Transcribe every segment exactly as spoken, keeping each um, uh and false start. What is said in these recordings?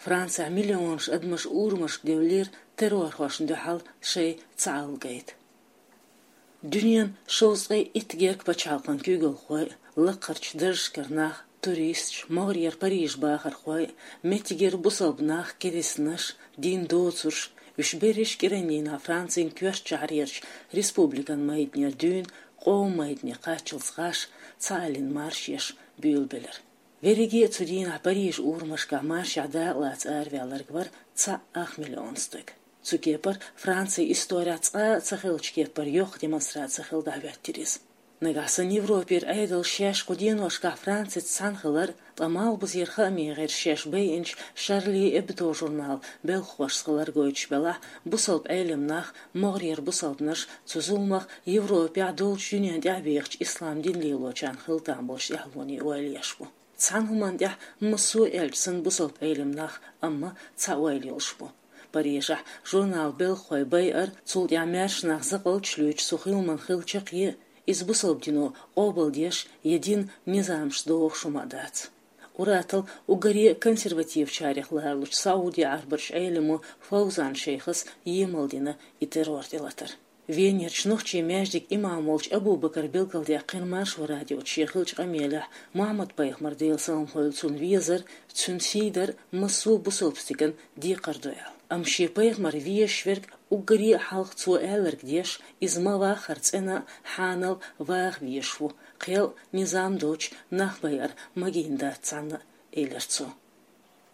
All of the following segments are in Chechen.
Францехь миллионаш адамаш урамашка девллера террорхошна дуьхьал шайн цхьаалла гайта. Дуьненан шовзткъе итт гергга пачхьалкхан куьйгалхой, лакхарчу даржашкара нах, туристаш, могӀарера Парижан бахархой, меттигера бусалба нах, керстанаш, дин доцурш, уьш берриш а кӀиран дийнахь Францин коьртачу шахьарерчу республикан майданера дуьйна къоман майдане кхаччалц гӀаш, цхьааллин маршаш буьйлабелира. Верриге а цу дийнахь Парижан урамашкахь маршехь дакъалаца араваьлларг вара цхьаъ ах миллион стаг. Цу кепара Францин исторехь цкъа а ца хиллачу кепара йоккха демонстраци хилла дӀахӀоьттира иза. Нагахь санна Европера Ӏедалш шаьш кху деношкахь Францица цхьаьна хилар, ткъа малхбузера хааман гӀирсаша шаьш байинчу Шарли Эбдо журналан белхахошца хилар гойтуш белахь, бусалба Ӏелам нах, могӀарера бусалбанаш цу зуламах Европехь, долчу дуьненна тӀаьхьабехачу ислам дин лелочарна хила там болчу тӀаьхьалонийн ойла еш бу. Цхьана хӀуманна тӀехь массо а аьлча санна бусалба Ӏелам нах, амма цхьа ойла йолуш бу. Парижехь журналан белхахой байар, цул тӀаьхьа маьрша нах закъалташ луьйчу цу хиламан хила чаккхе, иза бусалба дино къобалдеш я динан низамашца догӀуш хӀума а дац. Ур-атталла уггаре а консервативчарех ларалучу Сауди-Ӏаьрбарчу Ӏеламо Фовзан шайхас емал дина и террор тӀелатар. Венерчу нохчийн маьждиган имам волчу Абу-Бакара билгалдаьккхина Маршо радиоца шен хиллачу къамелехь, Мухьаммад-пайхамар, Делан салам хуьлда цунна, везар, цуьнан сий дар массо а бусалба стеган декхар ду аьлла. Амма шен пайхамар везаш верг уггаре а хьалха цо аьлларг деш, иза ма-ваххара цӀена а, хьанал а ваха везаш ву, кхел а, низам а доцуш нах байар магийна дац цхьанна а, элира цо.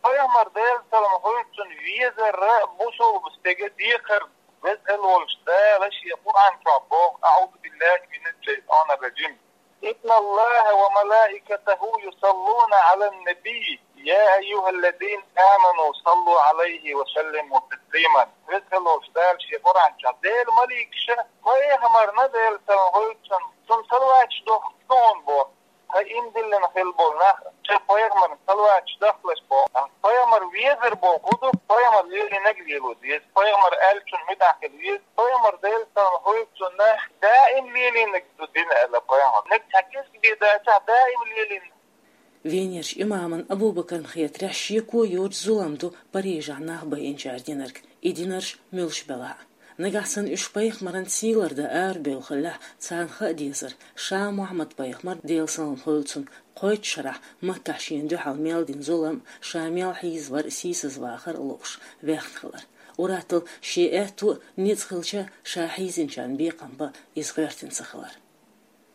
Пайхамар, Делан салам хуьлда цунна, везар бусалба стеган декхар ду. Веза-Воккхачу Дала шен Къуръан чохь боху: أعوذ بالله من الشيطان الرجيم. إن الله وملائكته يصلون على النبي يا أيها الذين آمنوا صلوا عليه وسلموا تسليما. Веза-Воккхачу Дала шен Къуръан чохь: Делан маликаша пайхамарна, Делан салам хуьлда цунна, цунна салаваташ дохку суна боху. Ткъа ийман диллина хилла болу нах, шайн пайхамарна салаваташ дахлаш боху. Пайхамар везар боху хӀун ду? Пайхамар лелийнарг лело деза. Пайхамар аьллачунна муьтӀахь хила веза. Пайхамар, Делан салам хуьлда цунна, даим лелийнарг ду дин аьлла пайхамар. Нагахь цхьа кӀезиг бен дацахь, даим лелийнарг. Венерчу имамна Абу-Бакарна хетарехь, шеко йоцу зулам ду Парижехь нах байинчара динарг, и динарш муьлш белахь а. Нагахь санна уьш пайхамаран сий лардан арабевлла хиллехь, царна хаа дезара, ша Мухьаммад-пайхамар, Делан салам хуьлда цунна, кхойтта шарахь Маккахь шена дуьхьал мел дина зулам, ша мел хьийзавар, сийсазвахар лууш, ваьхна хилар. Ур-атталла шен аьтту а, ницкъ хилча а, ша хьийзинчарна бекхам бан иза гӀоьртина ца хилар.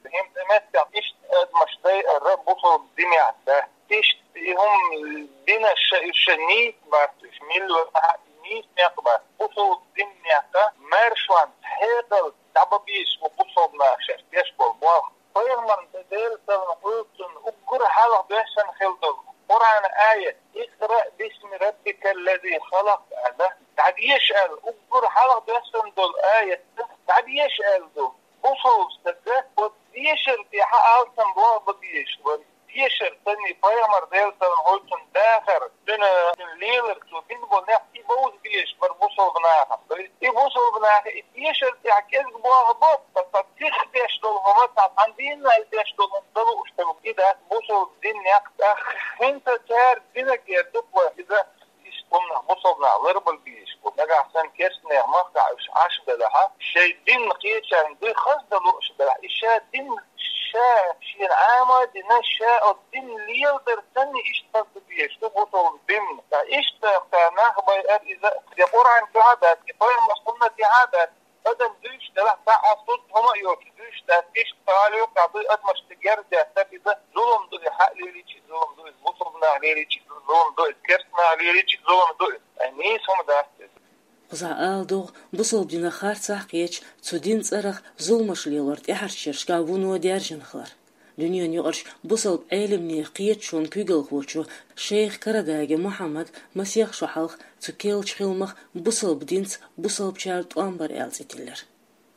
ХӀинца меттехь иштта адамаш дайар бусалба динехь дац. Иштта и хӀума динарш ша, уьш ша нийса бац, уьш милла вахьа а нийса некъ бац. Бусалба динехь маьршонца, хьекъалца дӀабан безаш бу бусалба наха шаьш деш болу болх. Пайхамарна, Делан салам хуьлда цунна, уггар хьалха доьссина хилла долу Къуръан аят: «اقرأ باسم ربك الذي خلق», аьлла, дӀадеша аьлла, уггар хьалха доьссина долу аят дӀадеша аьлла ду. Бусалба стага оцу дешар тӀехь алсам болх бан безаш бара. Дешар санна, пайхамар, Делан салам хуьлда цунна, дахар, цуьнан, цуьнан лелар, цо бина болу некъ и бовза безаш бара бусалба нахана. И бусалба наха и дешар тӀехь кӀезиг болх бо, ткъа цхьа сиха деш долу хӀума, цхьа цхьана дийнахь деш долу хӀума ца лууш хилла. И дац бусалба дин некъ. ТӀаккха хӀинца цара динарг эр ду-кх вай, иза Иштта хӀуманах бусалба нах ларбала безаш бу. Нагахь санна керстанех махкахь уьш Ӏаш белахь, шайн дин кхечарна дуй хаза дан лууш белахь, и ша дин ша шена Ӏама а дина, ша оцу дин леладар санна иштта хаза дан безаш ду бусалба дин. Ткъа иштта кху нах байар иза, я Къуръан чохь а дац, я пайхамар суннатехь а дац. Адам дуьйцуш делахь, цхьа а сунт хӀума а йоцуш дуьйцуш дац, иштта кху лоькхахь дуй адамашна герз деттар, иза зулам ду, и хьаъ лелийча а зулам ду, иза бусалба наха лелийча а зулам ду, иза керста наха лелийча а зулам ду иза. Ткъа нийса хӀума дац иза. Кхузахь ала догӀу, бусалба динан харцахь кхеташ, цу динан цӀарах зуламаш лелор тӀаьхьарчу шерашкахь вуно даьржина хилар. Дуьненан юкъарчу бусалба Ӏелам нехан кхеташонан куьйгалхочо шайх Карадаги Мухьаммада масех шо хьалха цу керлачу хиламах бусалба динца бусалбачара тӀом бар аьлла цӀе тиллира.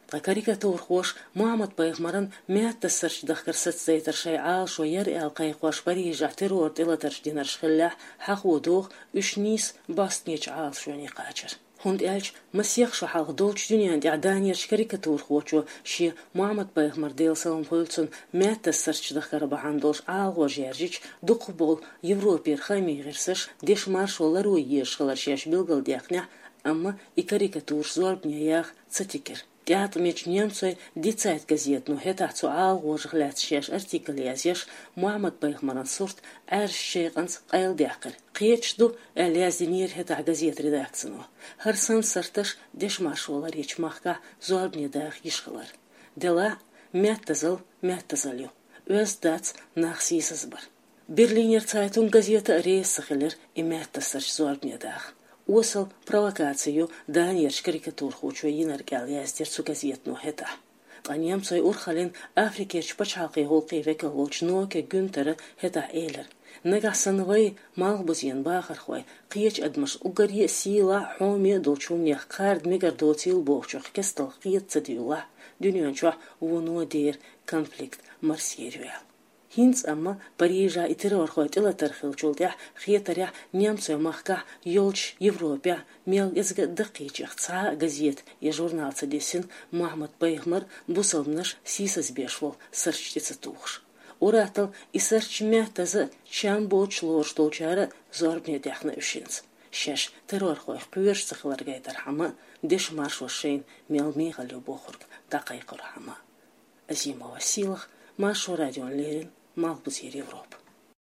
Ткъа карикатурхоша Мухьаммад-пайхамаран маьттассарчу дахкар сацадайтар шайн Ӏалашо яра аьлла кхайкхош Парижехь террор тӀелатарш динарш хиллехь, хьахо догӀу уьш нийса бӀостанечу Ӏалашоне кхачар. ХӀунда аьлча масех шо хьалха долчу дуьнен тӀехь Данерчу карикатурхочо шен Мухьаммад-пайхамар, Делан салам хуьлда цунна, маьттаза сарч дахкар бахьана долуш Ӏалагӏожа яьржича, дукхахболу Европера хаамийн гӀирсаш деша маршо ларъян езаш хилар шаьш билгалдаьккхинехь, амма и карикатураш зорбане яха ца тигира. ТӀаьткъамечу немцойн «Ди Цайт» газетано хӀетахь цу Ӏалагӏожах лаьцна шаьш артикл язъеш, Мухьаммад-пайхамаран сурт Ӏаьржачу шекъанца къайладаьккхира. Кхеташ ду аьлла яздинера хӀетахь газетан редакцино. ХӀара санна сарташ деша маршо ларъечу махкахь зорбане даха йиш хилар. Делахь а, маьттазалла маьттазалла ю, оьзда дац нах сийсазбар. Берлинер Цайтунг газета а реза ца хилира и маьттаза сарч зорбане даха. Осал провокаци ю Данерчу карикатурхочо йинарг аьлла яздира цу газетано хӀетахь. Ткъа немцойн урхаллин Африкерчу пачхьалкхийн гӀуллакхийн векал волчу Ноке Гюнтера хӀетахь элира: «Нагахь санна вай, малхбузен бахархой, кхечу адамашна уггаре а сийлахь а, хьоме а долчу хӀуманех кхарда мегар доцийла бохучух кестта кхета ца дуьйлахь, дуьнен чохь вуно дера конфликт марсъер ю», — аьлла. ХӀинца амма Парижехь и террорхой тӀелатар хиллачул тӀаьхьа хетарехь, немцойн махкахь, йолчу Европехь мел кӀезиг а даккхийчех цхьа а газета я журнал ца дисина Мухьаммад-пайхамар бусалбанаш сийсазбеш волу сарч тӀе ца тухуш. Ур-атталла и сарч маьттаза а, чам боцуш лоруш долчара а зорбане даьхна уьш хӀинца, шаьш террорхойх кхоьруш ца хилар гайтархьама а, деша маршо шайна мел мехала ю бохург дӀакхайкхорхьама а. Азимова Сийлаха, Маршо радиона леррина, Малхбузера Европа.